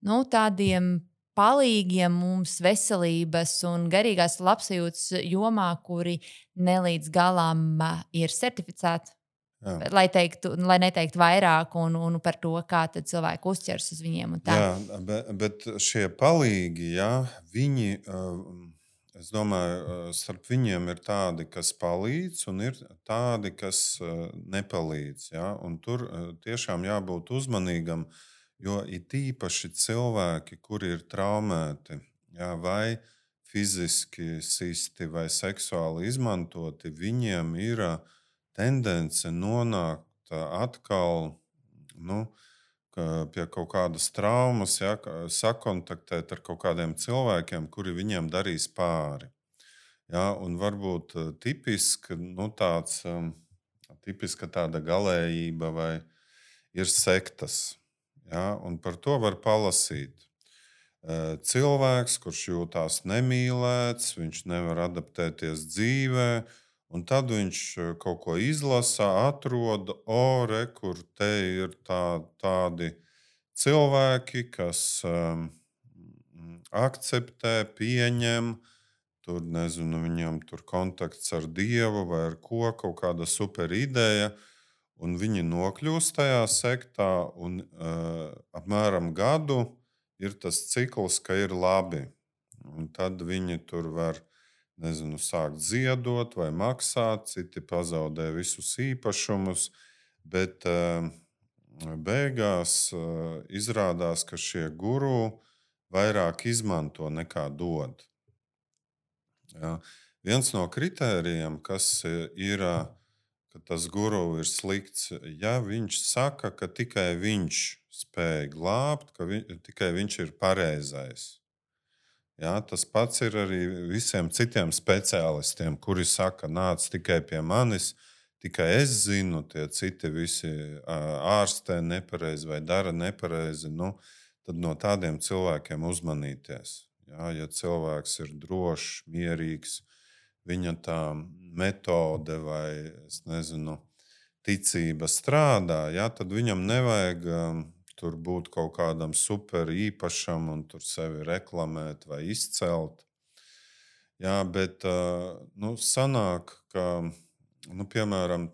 tādiem palīgiem mums veselības un garīgās labsajūtas jomā, kuri nelīdz galam ir certificēti. Jā. Lai neteiktu vairāk un par to, kā cilvēki uzķers uz viņiem. Jā, bet šie palīgi, jā, viņi, es domāju, starp viņiem ir tādi, kas palīdz, un ir tādi, kas nepalīdz. Jā, un tur tiešām jābūt uzmanīgam, jo it īpaši cilvēki, kuri ir traumēti, jā, vai fiziski sisti vai seksuāli izmantoti, viņiem ir tendence nonākt atkal pie kaut kādas traumas, ja, sakontaktēt ar kaut kādiem cilvēkiem, kuri viņiem darīs pāri. Ja, un varbūt tipiska tāda galējība vai ir sektas. Ja, un par to var palasīt. Cilvēks, kurš jūtas nemīlēts, viņš nevar adaptēties dzīvē, un tad viņš kaut ko izlasa, atrod, kur te ir tādi cilvēki, kas akceptē, pieņem, tur nezinu, viņam tur kontakts ar Dievu vai ar ko, kaut kāda super ideja, un viņi nokļūst tajā sektā, un apmēram gadu ir tas cikls, ka ir labi. Un tad viņi tur var sākt ziedot vai maksāt, citi pazaudē visus īpašumus, bet beigās izrādās, ka šie guru vairāk izmanto nekā dod. Ja. Viens no kritērijiem, kas ir, ka tas guru ir slikts, ja viņš saka, ka tikai viņš spēj glābt, ka tikai viņš ir pareizais. Ja, tas pats ir arī visiem citiem speciālistiem, kuri saka, nāc tikai pie manis, tikai es zinu, tie citi visi ārstē nepareizi vai dara nepareizi. Tad no tādiem cilvēkiem uzmanīties. Ja, ja cilvēks ir drošs, mierīgs, viņa tā metode vai ticība strādā, ja, tad viņam nevajag tur būt kaut kādam super īpašam un tur sevi reklamēt vai izcelt. Jā, bet sanāk, ka, piemēram,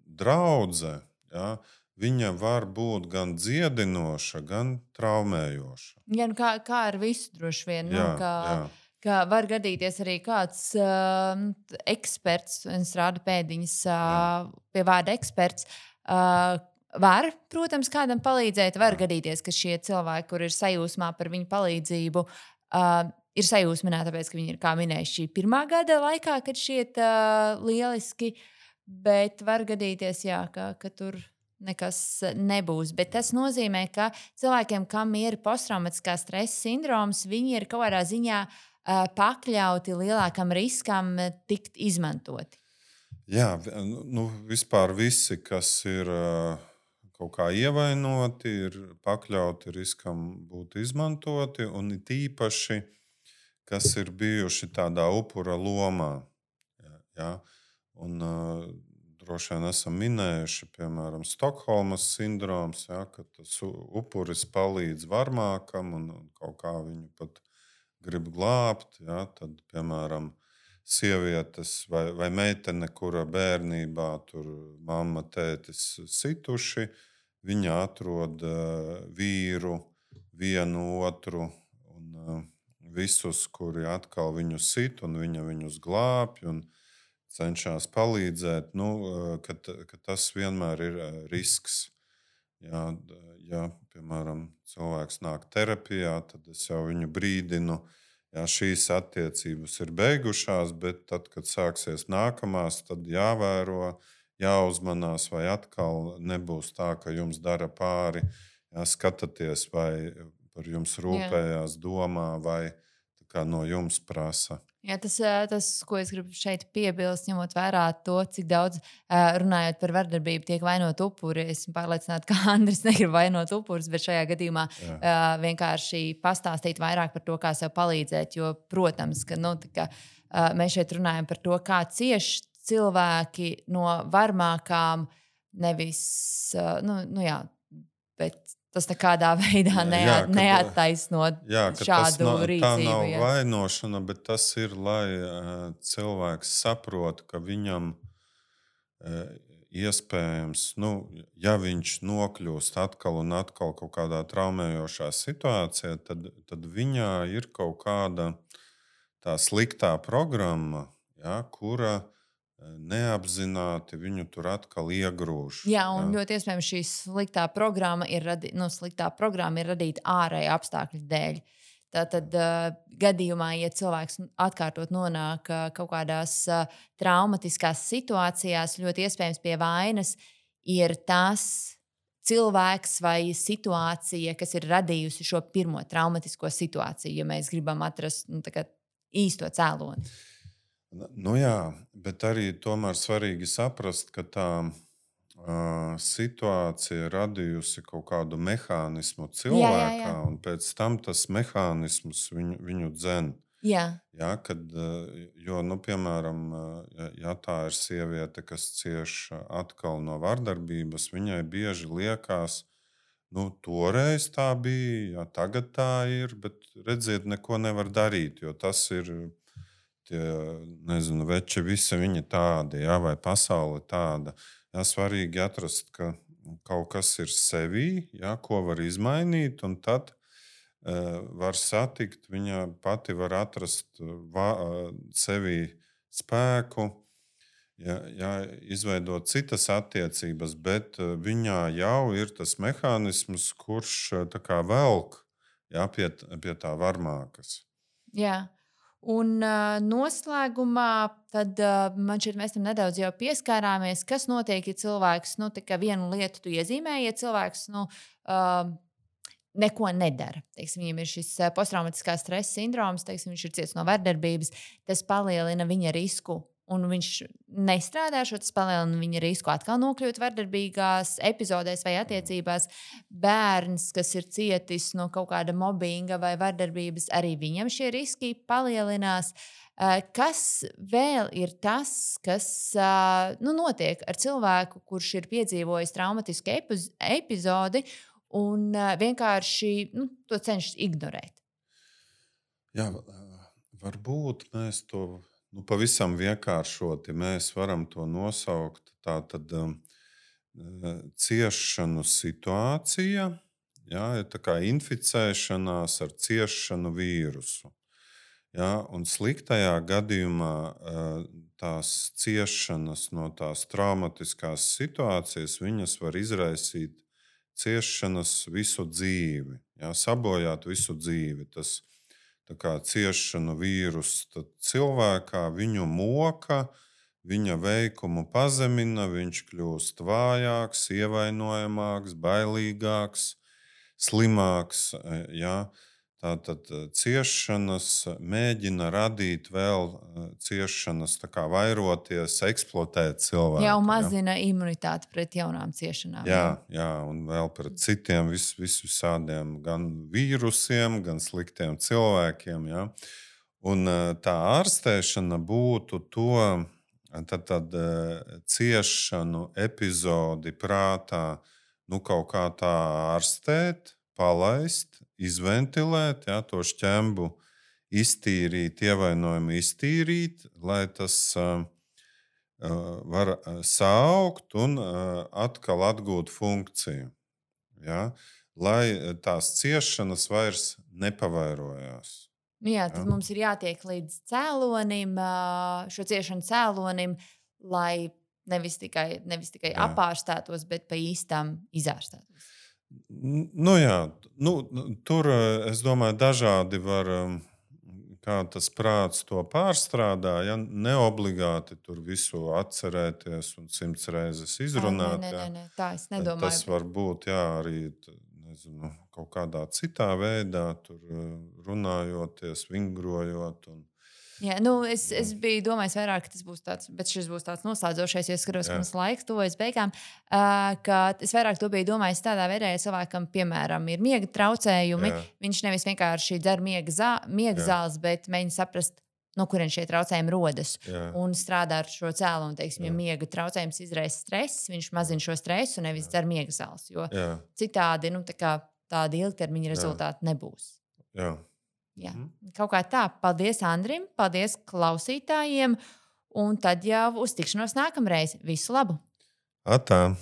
draudze, jā, viņa var būt gan dziedinoša, gan traumējoša. Jā, kā ar visu droši vien. Jā, Ka var gadīties arī kāds eksperts, un es rādu pēdiņas pie vārda eksperts, var, protams, kādam palīdzēt. Var gadīties, ka šie cilvēki, kur ir sajūsmā par viņu palīdzību, ir sajūsmināti, tāpēc, ka viņi ir, kā minējuši, šī pirmā gada laikā, kad šķiet lieliski, bet var gadīties, jā, ka tur nekas nebūs. Bet tas nozīmē, ka cilvēkiem, kam ir posttraumatiskā stresa sindroms, viņi ir kaut kādā ziņā pakļauti lielākam riskam tikt izmantoti. Jā, vispār visi, kas ir kaut kā ievainoti, ir pakļauti riskam būt izmantoti, un it īpaši, kas ir bijuši tādā upura lomā. Ja? Un droši vien esam minējuši, piemēram, Stokholmas sindroms, ja, ka tas upuris palīdz varmākam un kaut kā viņu pat grib glābt. Ja? Tad, piemēram, sievietes vai meitene, kura bērnībā tur mamma, tētis situši, viņa atrod vīru, vienu otru un visus, kuri atkal viņu sit un viņa viņus glābj un cenšas palīdzēt, ka tas vienmēr ir risks. Ja, piemēram, cilvēks nāk terapijā, tad es jau viņu brīdinu, ja šīs attiecības ir beigušās, bet tad, kad sāksies nākamās, tad jāvēro, jāuzmanās, vai atkal nebūs tā, ka jums dara pāri, skatāties, vai par jums rūpējās, domā, vai no jums prasa. Jā, tas, ko es gribu šeit piebilst, ņemot vērā to, cik daudz runājot par vardarbību, tiek vainot upuri. Esmu pārliecināta, ka Andris negrib vainot upurus, bet šajā gadījumā vienkārši pastāstīt vairāk par to, kā sev palīdzēt. Jo, protams, ka mēs šeit runājam par to, kā cieš cilvēki no varmākām, nevis, bet tas nekādā veidā neattaisno šādu rīcību. Tā nav vainošana, bet tas ir, lai cilvēks saprot, ka viņam iespējams, ja viņš nokļūst atkal un atkal kaut kādā traumējošā situācijā, tad viņā ir kaut kāda tā sliktā programma, kura neapzināti viņu tur atkal iegrūž. Jā, un ļoti iespējams šī sliktā programma ir radīta ārēja apstākļu dēļ. Tātad gadījumā, ja cilvēks atkārtot nonāk kaut kādās traumatiskās situācijās, ļoti iespējams pie vainas ir tas cilvēks vai situācija, kas ir radījusi šo pirmo traumatisko situāciju, ja mēs gribam atrast īsto cēloni. Jā, bet arī tomēr svarīgi saprast, ka tā situācija radījusi kaut kādu mehānismu cilvēkā, un pēc tam tas mehānisms viņu dzen. Jā, piemēram, ja tā ir sieviete, kas cieš atkal no vardarbības, viņai bieži liekas, toreiz tā bija, tagad tā ir, bet redziet, neko nevar darīt, jo tas ir tie, veči visi viņi tādi, vai pasaule tāda. Svarīgi atrast, ka kaut kas ir sevī, ko var izmainīt, un tad var satikt, viņa pati var atrast sevī spēku, izveidot citas attiecības, bet viņā jau ir tas mehānisms, kurš tā kā velk pie tā varmākas. Jā. Un noslēgumā tad, man šķiet, mēs tam nedaudz jau pieskārāmies, kas notiek, ja cilvēks, tā kā vienu lietu tu iezīmē, ja cilvēks, neko nedara. Teiksim, viņam ir šis posttraumatiskā stresa sindroms, teiksim, viņš ir cietis no vardarbības, tas palielina viņa risku. Un viņš nestrādā šo, tas palielina viņa risku atkal nokļūt vardarbīgās epizodēs vai attiecībās. Bērns, kas ir cietis no kaut kāda mobbinga vai vardarbības, arī viņam šie riski palielinās. Kas vēl ir tas, kas notiek ar cilvēku, kurš ir piedzīvojis traumatisku epizodi un vienkārši to cenšas ignorēt? Jā, varbūt mēs to pavisam vienkāršoti mēs varam to nosaukt. Tā tad ciešanu situācija, jā, ir tā kā inficēšanās ar ciešanu vīrusu. Jā, un sliktajā gadījumā tās ciešanas no tās traumatiskās situācijas, viņas var izraisīt ciešanas visu dzīvi, jā, sabojāt visu dzīvi. Tas tā kā ciešanu vīrusu cilvēkā, viņu moka, viņa veikumu pazemina, viņš kļūst vājāks, ievainojamāks, bailīgāks, slimāks. Ja? Tātad ciešanas mēģina radīt vēl ciešanas, tā kā vairoties, eksploatēt cilvēku. Jā, un mazina imunitāti pret jaunām ciešanām. Jā, un vēl pret citiem visādiem gan vīrusiem, gan sliktiem cilvēkiem. Ja? Un tā ārstēšana būtu to tad ciešanu epizodi prātā kaut kā tā ārstēt, palaist, izventilēt, ja, to šķembu iztīrīt, ievainojumu iztīrīt, lai tas var saaugt un atkal atgūt funkciju. Ja, lai tās ciešanas vairs nepavairojās. Jā, tad mums ir jātiek līdz cēlonim, šo ciešanu cēlonim, lai nevis tikai apārstētos, bet pa īstām izārstētos. Tur, es domāju, dažādi var, kā tas prāts to pārstrādā. Ja? Neobligāti tur visu atcerēties un 100 reizes izrunāt. Nē, tā es nedomāju. Tas var būt arī kaut kādā citā veidā, tur runājoties, vingrojot. Jā, es biju domājis vairāk, ka tas būs tāds, bet šis būs tāds noslēdzošais, jo es skatos, ka mums laiks tuvojas beigām. Ka es vairāk to biju domājis tādā veidā, ja cilvēkam, piemēram, ir miega traucējumi, viņš nevis vienkārši dzer miega zāles, bet mēģina saprast, no kurienes šie traucējumi rodas. Un strādā ar šo cēloņu. Teiksim, ja miega traucējums izraisa stress, viņš mazina šo stresu un nevis dzer miega zāles. Jo citādi tādi ilgtermiņa rezultāti nebūs. Jā. Kaut kā tā. Paldies Andrim, paldies klausītājiem. Un tad jau uz tikšanos nākamreiz. Visu labu! Atā!